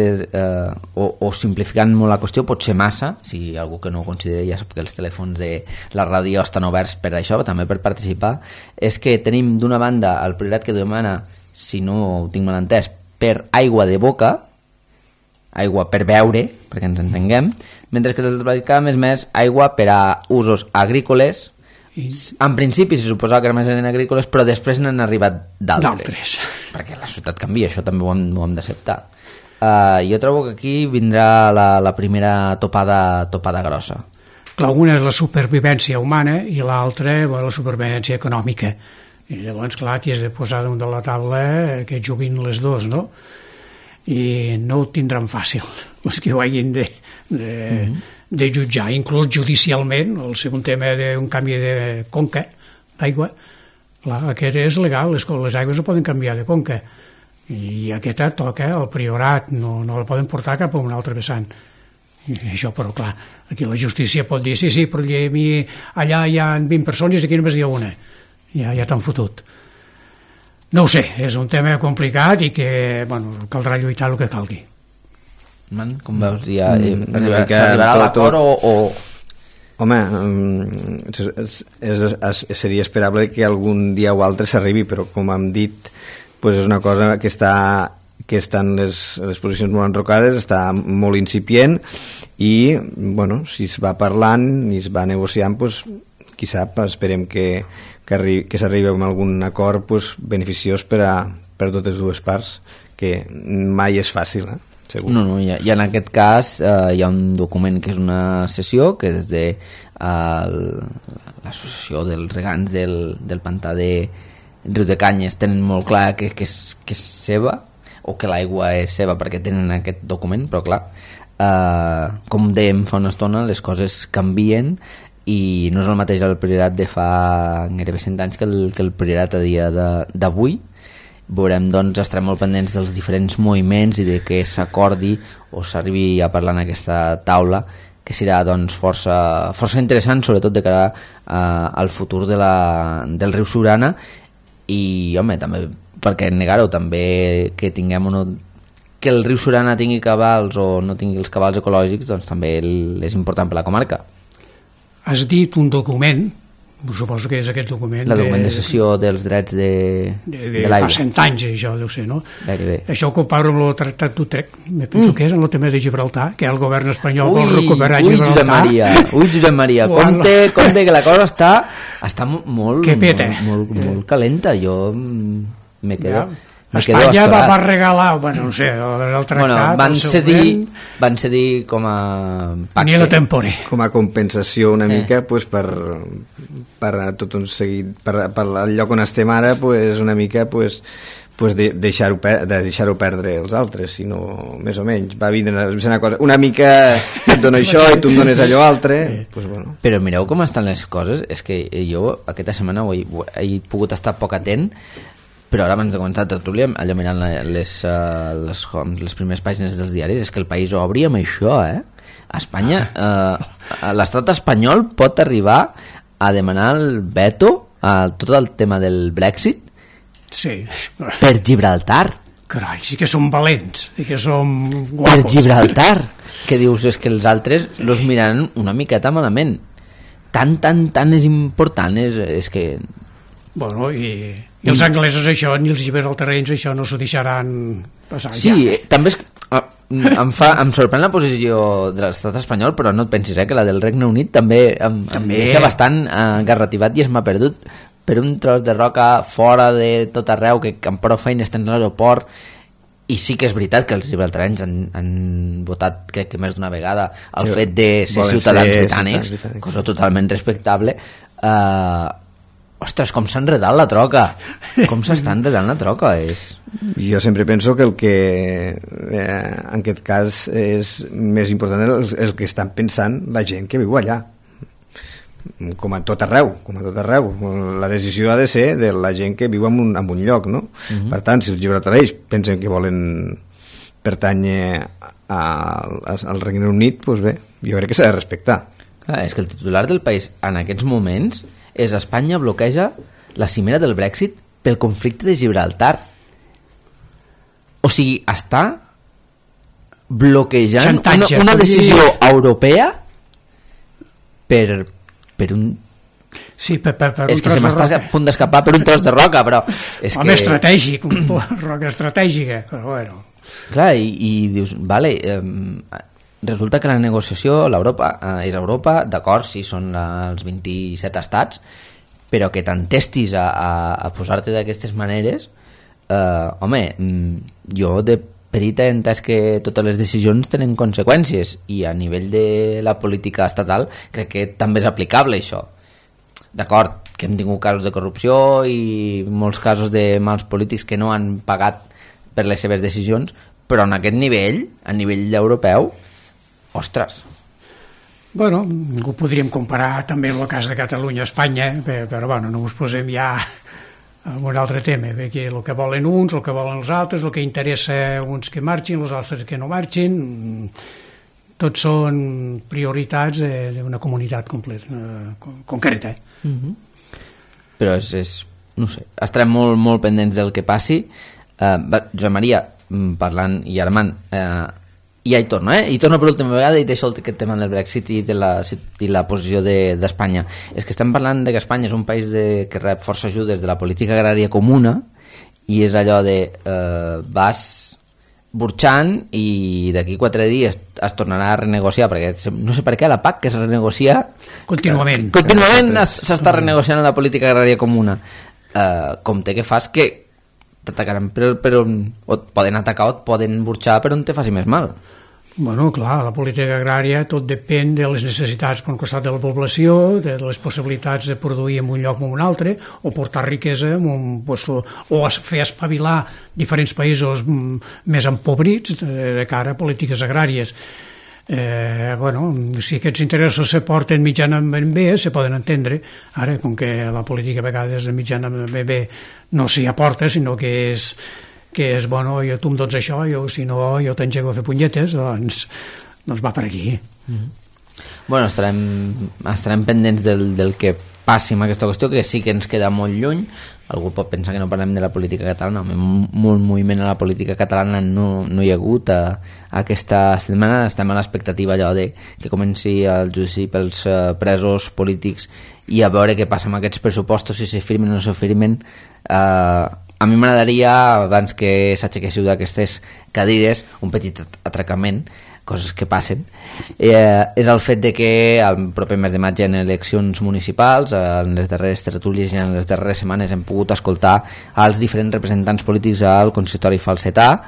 o simplificant molt la qüestió, pot ser massa, si algú que no ho considera, ja sap que els telèfons de la ràdio estan oberts per això, també per participar, és que tenim d'una banda el Priorat que demana, si no ho tinc mal entès, per aigua de boca, aigua per beure, perquè ens entenguem, mentre que el Baix Camp és més aigua per a usos agrícoles. En principi se suposava que eren agrícoles, però després n'han arribat d'altres. Perquè la societat canvia, això també ho hem d'acceptar. Jo trobo que aquí vindrà la primera topada grossa. Clar, una és la supervivència humana i l'altra la supervivència econòmica. I llavors, clar, aquí has de posar damunt de la taula que juguin les dues, no? I no ho tindran fàcil els que ho hagin de jutjar, inclús judicialment. El segon tema d'un canvi de conca d'aigua, clar, aquest és legal, les aigües no poden canviar de conca i aquesta toca al Priorat, no la poden portar cap a un altre vessant. I això, però clar, aquí la justícia pot dir sí, però allà hi ha 20 persones i aquí només hi ha una, ja t'han fotut. No ho sé, és un tema complicat i que, bueno, caldrà lluitar el que calgui. Com veus? S'arribarà a l'acord o... Home, seria esperable que algun dia o altre s'arribi, però com hem dit, pues és una cosa que està en les posicions molt enrocades, està molt incipient i, bueno, si es va parlant i es va negociant, pues, qui sap, esperem que s'arribi a algun acord pues, beneficiós per totes dues parts, que mai és fàcil, segur. No, i en aquest cas hi ha un document que és una sessió que des de l'associació dels regants del pantà de Riu de Canyes tenen molt clar que és seva, o que l'aigua és seva perquè tenen aquest document, però clar, com dèiem fa una estona, les coses canvien i no és el mateix el priorat de fa gairebé 100 anys que el priorat a dia d'avui. Veurem, doncs, estarem molt pendents dels diferents moviments i de què s'acordi o s'arribi a parlar en aquesta taula, que serà, doncs, força interessant, sobretot de cara al futur del riu Siurana i, home, també, per què negar-ho, també que tinguem que el riu Siurana tingui cabals o no tingui els cabals ecològics, doncs també és important per la comarca. Has dit un document, suposo que és aquest document... La document de cessió dels drets de l'aigua. Fa 100 anys, això deu ser, no? Gairebé. Això ho comparo amb el Tractat d'Utrecht, me penso que és en el tema de Gibraltar, que el govern espanyol vol recuperar Gibraltar. Josep Maria, compte que la cosa està molt calenta. Jo me quedo... Espanya va regalar, bueno, no sé, el tractat... Van cedir com a pacte. Com a compensació una mica, pues, per tot un seguit, per el lloc on estem ara, pues, una mica, pues, deixar-ho perdre els altres, sinó més o menys. Va vindre una cosa, una mica et dono això i tu em dones allò altre, pues, bueno. Però mireu com estan les coses, és que jo aquesta setmana he pogut estar poc atent, però ara abans de començar a tertúlia, allò mirant les primeres pàgines dels diaris, és que el país obri amb això, a Espanya l'estat espanyol pot arribar a demanar el veto a tot el tema del Brexit per Gibraltar. Carai, sí que som valents i que som guapos. Per Gibraltar, que dius, és que els altres los miran una miqueta malament. Tan és important, és que... Bueno, i els anglesos això, ni els gibraltarenys això no s'ho deixaran passar. Sí, també em sorprèn la posició de l'estat espanyol, però no et pensis que la del Regne Unit també em deixa bastant garrativat i es m'ha perdut per un tros de roca fora de tot arreu, que amb prou feines tenen l'aeroport. I sí que és veritat que els gibraltarenys han votat, crec que més d'una vegada, el fet de ser ciutadans britànics, cosa totalment respectable. Ostres, com s'ha enredat la troca, com s'està enredant la troca. Jo sempre penso que el que en aquest cas és més important és el que estan pensant la gent que viu allà, com a tot arreu. La decisió ha de ser de la gent que viu en un lloc, no? Per tant, si els gibraltarenys pensen que volen pertànyer al Regne Unit, doncs bé, jo crec que s'ha de respectar. Clar, és que el titular del país en aquests moments és Espanya bloqueja la cimera del Brexit pel conflicte de Gibraltar. O sigui, està bloquejant una decisió europea per un... Sí, per un és que se m'està a punt d'escapar per un tros de roca, però... Home, estratègic, roca estratègica, però bueno... Clar, i dius, vale... resulta que la negociació és Europa, d'acord, sí, són els 27 estats, però que t'entestis a posar-te d'aquestes maneres, home, jo de petit he entès que totes les decisions tenen conseqüències i a nivell de la política estatal crec que també és aplicable això. D'acord, que hem tingut casos de corrupció i molts casos de mals polítics que no han pagat per les seves decisions, però en aquest nivell, a nivell europeu, ostres. Bueno, ho podríem comparar també amb el cas de Catalunya-Espanya, però bueno, no us posem ja en un altre tema, perquè el que volen uns, el que volen els altres, el que interessa uns que marxin, els altres que no marxin, tots són prioritats d'una comunitat concreta. Però és no sé, estarem molt, molt pendents del que passi. Josep Maria, parlant, i Armand, i ja hi torno, i torno per última vegada i deixo aquest tema del Brexit i la posició d'Espanya. És que estem parlant de que Espanya és un país que rep força ajudes de la política agrària comuna, i és allò de vas burxant i d'aquí 4 dies es tornarà a renegociar, perquè no sé per què la PAC, que es renegocia contínuament s'està renegociant la política agrària comuna. Com té que fas que t'atacaran però et poden atacar o et poden burxar per on te faci més mal. Bueno, clar, la política agrària tot depèn de les necessitats per un costat de la població, de les possibilitats de produir en un lloc o en un altre, o portar riquesa en un lloc, o fer espavilar diferents països més empobrits de cara a polítiques agràries. Bueno, si aquests interessos se porten mitjanament bé, se poden entendre. Ara, com que la política a vegades de mitjanament bé no s'hi aporta, sinó que és, bueno, tu em dones això, si no jo t'engego a fer punyetes, doncs va per aquí. Bueno, estarem pendents del que passi amb aquesta qüestió, que sí que ens queda molt lluny. Algú pot pensar que no parlem de la política catalana, molt moviment a la política catalana no hi ha hagut aquesta setmana. Estem a l'expectativa allò de que comenci el judici pels presos polítics i a veure què passa amb aquests pressupostos, si se firmen o no se firmen. A mi m'agradaria, abans que s'aixequéssiu d'aquestes cadires, un petit atracament, coses que passen, és el fet de que el proper mes de maig hi ha eleccions municipals. En les darreres tertúlies i en les darreres setmanes hem pogut escoltar els diferents representants polítics al consistori falsetà,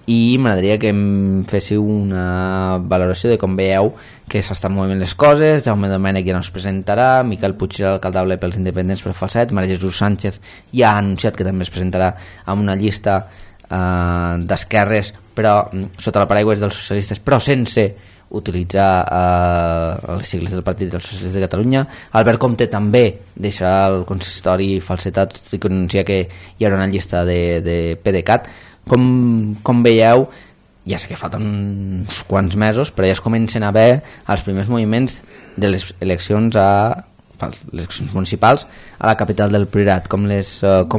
i m'agradaria que em féssiu una valoració de com veieu que s'estan movent les coses. Jaume Domènech ja no es presentarà, Miquel Puig serà l'alcaldable pels independents per Falset, Maria Jesús Sánchez ja ha anunciat que també es presentarà amb una llista d'esquerres, però sota el paraigües dels socialistes, però sense utilitzar les sigles del Partit dels Socialistes de Catalunya. Albert Comte també deixarà el consistori falsetà, tot i que anuncia que hi haurà una llista de PDeCAT. Com veieu, ja sé que falten uns quants mesos, però ja es comencen a haver els primers moviments de les eleccions municipals a la capital del Priorat. Com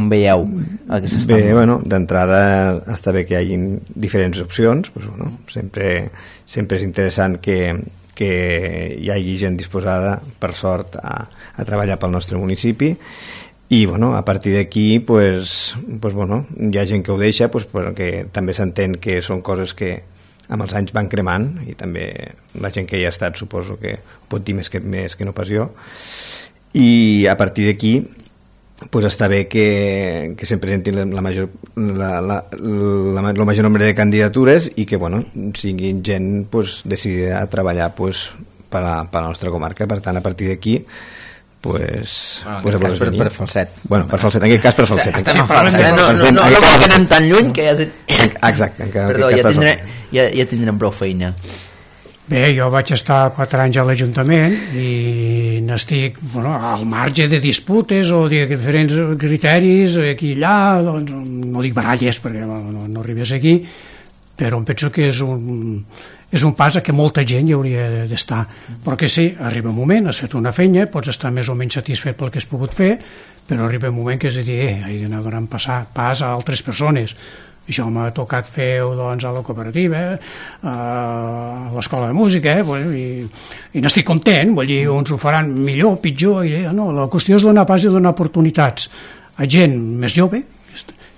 veieu el que s'està? Bé, bueno, d'entrada està bé que hi hagi diferents opcions, pues, bueno, sempre és interessant que hi hagi gent disposada, per sort, a treballar pel nostre municipi. I bueno, a partir d'aquí pues, bueno, hi ha gent que ho deixa, pues, perquè també s'entén que són coses que amb els anys van cremant, i també la gent que hi ha estat suposo que pot dir més que no pas jo, i a partir d'aquí pues, està bé que se'n presentin el major nombre de candidatures i que bueno, siguin gent pues, decidida a treballar pues, per a la nostra comarca. Per tant, a partir d'aquí per Falset. Bueno, per Falset, en aquest cas per Falset. Estem a Falset, no anem tan lluny que ja... Exacte. Perdó, ja tindrem prou feina. Bé, jo vaig estar 4 anys a l'Ajuntament i n'estic al marge de disputes o de diferents criteris aquí i allà, doncs, no dic baralles perquè no arribés aquí, però em penso que és un pas a què molta gent hi hauria d'estar, perquè sí, arriba un moment, has fet una feina, pots estar més o menys satisfet pel que has pogut fer, però arriba un moment que és a dir, he d'anar donant pas a altres persones. Això m'ha tocat fer doncs, a la cooperativa, a l'escola de música, i n'estic content, vull dir, uns ho faran millor, pitjor, no, la qüestió és donar pas i donar oportunitats a gent més jove,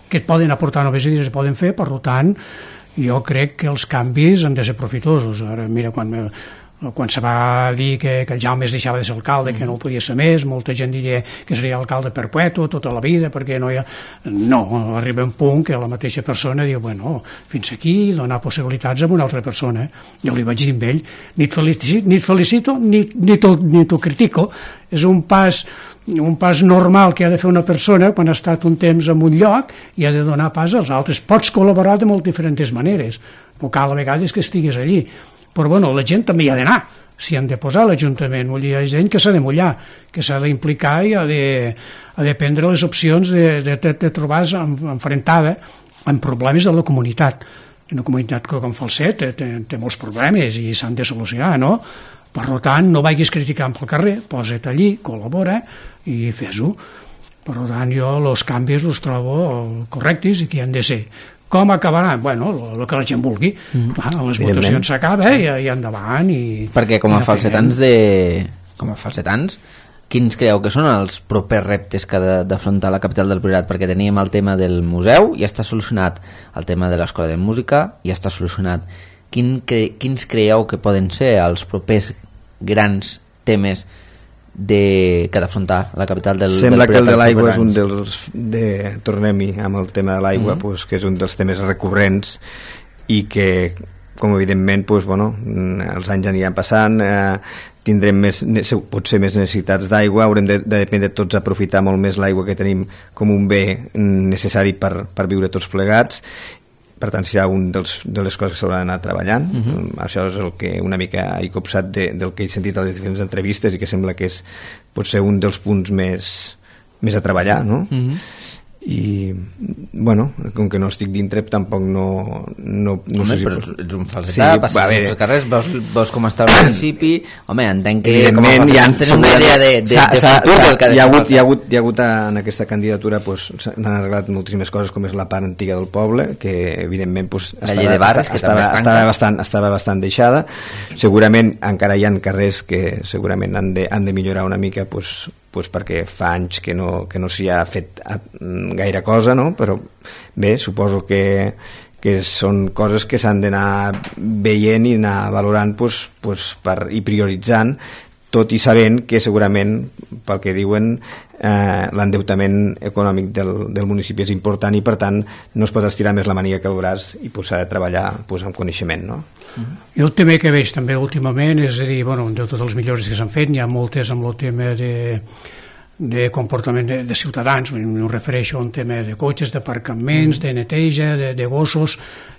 que et poden aportar noves idees, es poden fer, per tant, jo crec que els canvis han de ser profitosos. Ara, mira, quan se va dir que el Jaume es deixava de ser alcalde, que no ho podia ser més, molta gent diria que seria alcalde perpetu tota la vida, perquè no hi ha... No, arriba un punt que la mateixa persona diu, bueno, fins aquí, donar possibilitats a una altra persona. Jo li vaig dir a ell, ni et felicito ni t'ho critico. És un pas normal que ha de fer una persona quan ha estat un temps en un lloc i ha de donar pas als altres. Pots col·laborar de molt diferents maneres, però cal a vegades que estigues allí. Però bueno, la gent també hi ha d'anar, s'hi han de posar a l'Ajuntament, hi ha gent que s'ha de mullar, que s'ha d'implicar i ha de prendre les opcions de trobar-se enfrontada amb problemes de la comunitat. Una comunitat que com Falset té molts problemes i s'han de solucionar, no? Per tant, no vagis criticant pel carrer, posa't allí, col·labora i fes-ho. Per tant, jo els canvis els trobo correctes i que han de ser. Com acabaran? Bueno, el que la gent vulgui. Clar, les votacions s'acaba i endavant. Perquè com a falsetans quins creieu que són els propers reptes que ha d'afrontar la capital del Priorat? Perquè teníem el tema del museu, ja està solucionat el tema de l'escola de música, ja està solucionat. Quins creieu que poden ser els propers grans temes que ha d'afrontar la capital del Priorat? Sembla que el de l'aigua és un dels... Tornem-hi amb el tema de l'aigua, que és un dels temes recurrents i que, com evidentment, els anys aniran passant, tindrem potser més necessitats d'aigua, haurem de dependre tots aprofitar molt més l'aigua que tenim com un bé necessari per viure tots plegats. Per tant, serà una de les coses que s'haurà d'anar treballant. Això és el que una mica he copsat del que he sentit a les diferents entrevistes i que sembla que és potser un dels punts més a treballar, no? I, com que no estic dintre, tampoc no home, sé si... però ets un falsetà, passes pels carrers, veus com està el municipi, home, entenc que com a falsetans tenen una idea de futur del que ha de ser. Hi ha hagut en aquesta candidatura, s'han arreglat moltíssimes coses, com és la part antiga del poble, que evidentment estava bastant deixada. Segurament encara hi ha carrers que segurament han de millorar una mica, perquè fa anys que no s'hi ha fet gaire cosa, no? Però bé, suposo que són coses que s'han d'anar veient i anar valorant i prioritzant, tot i sabent que segurament, pel que diuen, l'endeutament econòmic del municipi és important i per tant no es pot estirar més la màniga que el braç i s'ha de treballar amb coneixement, no? I el tema que veig també últimament és a dir, de totes les millores que s'han fet, n'hi ha moltes amb el tema de comportament de ciutadans, no refereixo a un tema de cotxes, d'aparcaments, de neteja, de gossos,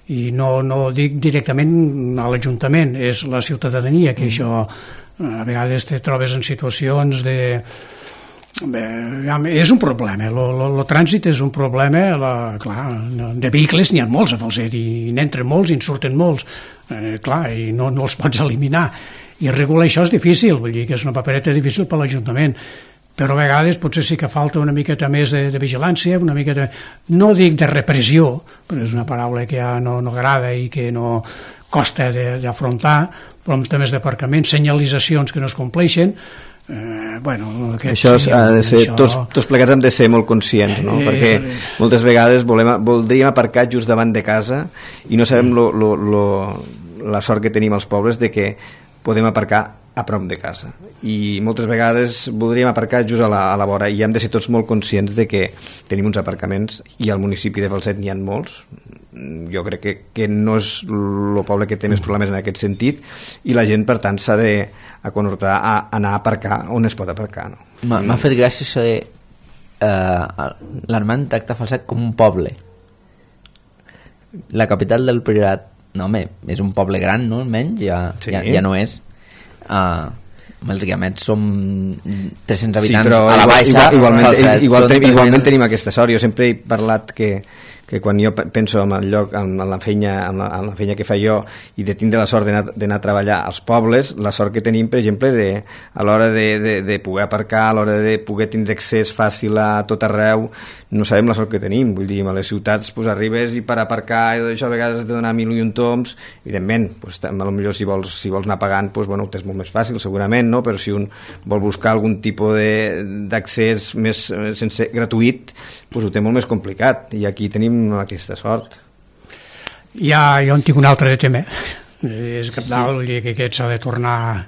i no dic directament a l'Ajuntament, és la ciutadania que això a vegades te trobes en situacions és un problema, el trànsit és un problema, clar, de vehicles n'hi ha molts a Falset i n'entren molts i en surten molts, clar, i no els pots eliminar, i regular això és difícil, vull dir que és una papereta difícil per l'Ajuntament, però a vegades potser sí que falta una miqueta més de vigilància, una miqueta, no dic de repressió, però és una paraula que ja no agrada i que no costa d'afrontar, però amb temes d'aparcament, senyalitzacions que no es compleixen, tots plegats hem de ser molt conscients, no? Perquè moltes vegades voldríem aparcar just davant de casa i no sabem la sort que tenim als pobles de que podem aparcar a prop de casa i moltes vegades voldríem aparcar just a la vora i hem de ser tots molt conscients de que tenim uns aparcaments i al municipi de Falset n'hi ha molts. Jo crec que no és el poble que té més problemes en aquest sentit i la gent per tant s'ha d'aconortar a anar a aparcar on es pot aparcar, no? M'ha fet gràcia això de l'Armand tracta Falset com un poble. La capital del Priorat, no home, és un poble gran, no? Almenys ja no és. Els Guiamets som 300 habitants a la baixa. Igualment tenim aquesta sort. Jo sempre he parlat que quan jo penso en el lloc, en la feina que fa jo i de tindre la sort d'anar a treballar als pobles, la sort que tenim, per exemple, a l'hora de poder aparcar, a l'hora de poder tindre accés fàcil a tot arreu, no sabem la sort que tenim. Vull dir, a les ciutats arribes i per aparcar i això a vegades has de donar 1000 i un toms, evidentment, potser si vols anar pagant, ho tens molt més fàcil segurament, no? Però si un vol buscar algun tipus d'accés més gratuït, ho té molt més complicat i aquí tenim aquesta sort. Jo en tinc un altre de tema, és cabdal, que aquest s'ha de tornar,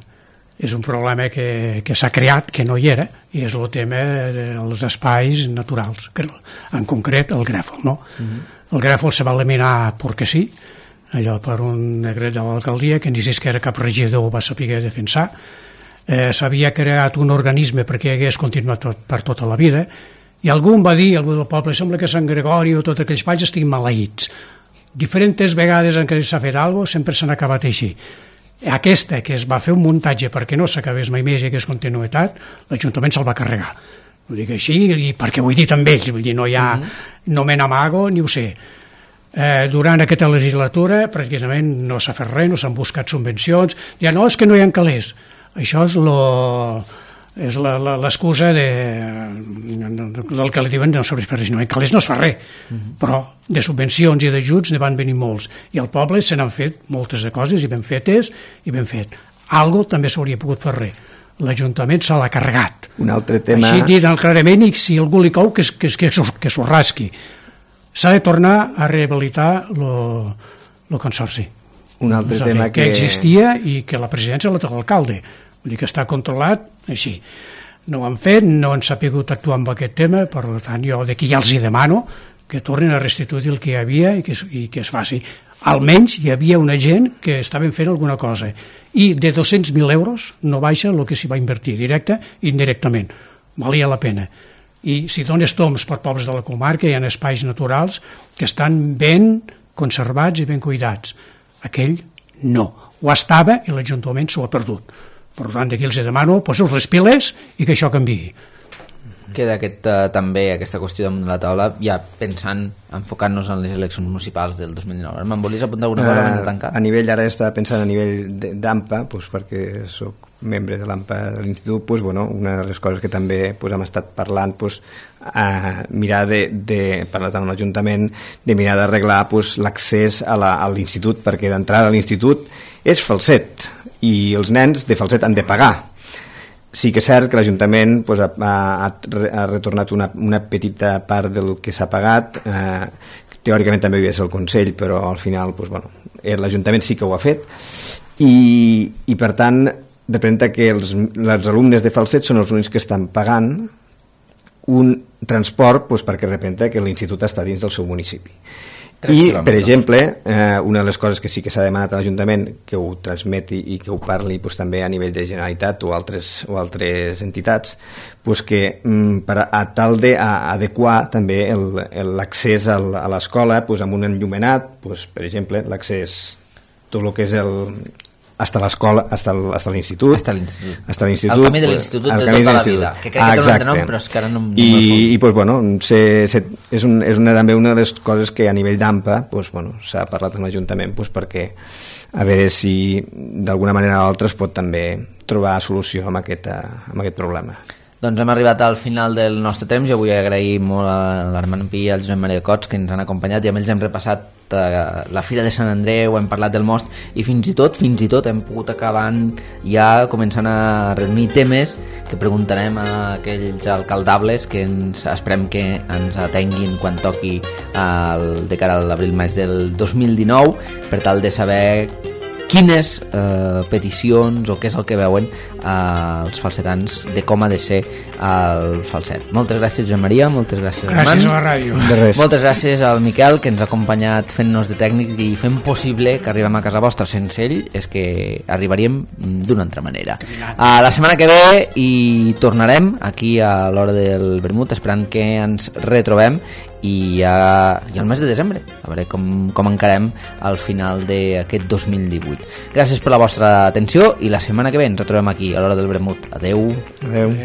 és un problema que s'ha creat, que no hi era, i és el tema dels espais naturals, en concret el grèfol, no? El grèfol se va eliminar perquè sí, allò per un decret de l'alcaldia que ni si que era cap regidor va saber defensar. S'havia creat un organisme perquè hagués continuat per tota la vida i algú del poble, sembla que Sant Gregori o tots aquells països estiguin maleïts. Diferents vegades en què s'ha fet alguna cosa sempre s'han acabat així. Aquesta, que es va fer un muntatge perquè no s'acabés mai més i hagués continuïtat, l'Ajuntament se'l va carregar. Ho dic així i perquè ho he dit amb ells, vull dir, no hi ha, no me n'amago ni ho sé. Durant aquesta legislatura pràcticament no s'ha fet res, no s'han buscat subvencions, ja no, és que no hi ha calés. Això és l'excusa el que li diuen no serveix per res, no, en calés no es fa res, però de subvencions i d'ajuts ne van venir molts, i al poble se n'han fet moltes de coses, i ben fetes, i ben fet. Algo també s'hauria pogut fer res. L'Ajuntament se l'ha carregat. Un altre tema... Així dit clarament, i si algú li cou, que s'ho rasqui. S'ha de tornar a rehabilitar el consorci. Un altre tema que existia i que la presidència la té l'alcalde. Vull dir que està controlat així. No ho han fet, no han sapigut actuar amb aquest tema, per tant jo d'aquí ja els hi demano que tornin a restituir el que hi havia i que es faci. Almenys hi havia una gent que estaven fent alguna cosa i de 200.000 euros no baixa el que s'hi va invertir, directe i indirectament. Valia la pena. I si dones tombs per pobles de la comarca hi ha espais naturals que estan ben conservats i ben cuidats. Aquell no. Ho estava i l'Ajuntament s'ho ha perdut. Per tant, d'aquí els demano, poseu les piles i que això canviï. Queda també aquesta qüestió damunt de la taula, ja pensant, enfocant-nos en les eleccions municipals del 2019. Me'n volies apuntar alguna cosa abans de tancar? A nivell, ara estava pensant a nivell d'AMPA, perquè soc membre de l'AMPA de l'Institut, una de les coses que també hem estat parlant, mirar parlar amb l'Ajuntament, de mirar d'arreglar l'accés a l'Institut, perquè d'entrada a l'Institut és falset, i els nens de falset han de pagar. Sí que és cert que l'Ajuntament ha retornat una petita part del que s'ha pagat, teòricament també havia de ser el Consell, però al final l'Ajuntament sí que ho ha fet, i per tant representa que els alumnes de falset són els únics que estan pagant un transport perquè representa que l'institut està dins del seu municipi. I, per exemple, una de les coses que sí que s'ha demanat a l'Ajuntament que ho transmeti i que ho parli també a nivell de Generalitat o altres entitats, que a tal d'adequar també l'accés a l'escola amb un enllumenat, per exemple, l'accés, tot el que és hasta l'escola, hasta l'institut. Hasta l'institut. El camí de l'institut de tota la vida, que crec que té un altre nom, però és que ara no és també una de les coses que a nivell d'AMPA s'ha parlat amb l'Ajuntament perquè a veure si d'alguna manera o altra es pot també trobar solució amb aquest problema. Doncs hem arribat al final del nostre temps. Jo vull agrair molt a l'Armand Pi i al Josep Maria Cots que ens han acompanyat i amb ells hem repassat la Fira de Sant Andreu, hem parlat del most i fins i tot hem pogut acabar ja començant a reunir temes que preguntarem a aquells alcaldables que esperem que ens atenguin quan toqui de cara a l'abril-maig del 2019 per tal de saber quines peticions o què és el que veuen els falsetans de com ha de ser el falset. Moltes gràcies, Joan Maria, moltes gràcies, Armand. Gràcies a la ràdio. Moltes gràcies al Miquel, que ens ha acompanyat fent-nos de tècnics i fent possible que arribem a casa vostra. Sense ell és que arribaríem d'una altra manera. La setmana que ve hi tornarem aquí a l'hora del vermut, esperant que ens retrobem i al mes de desembre a veure com encarem al final d'aquest 2018. Gràcies per la vostra atenció i la setmana que ve ens retrobem aquí a l'hora del vermut. Adeu. Adeu.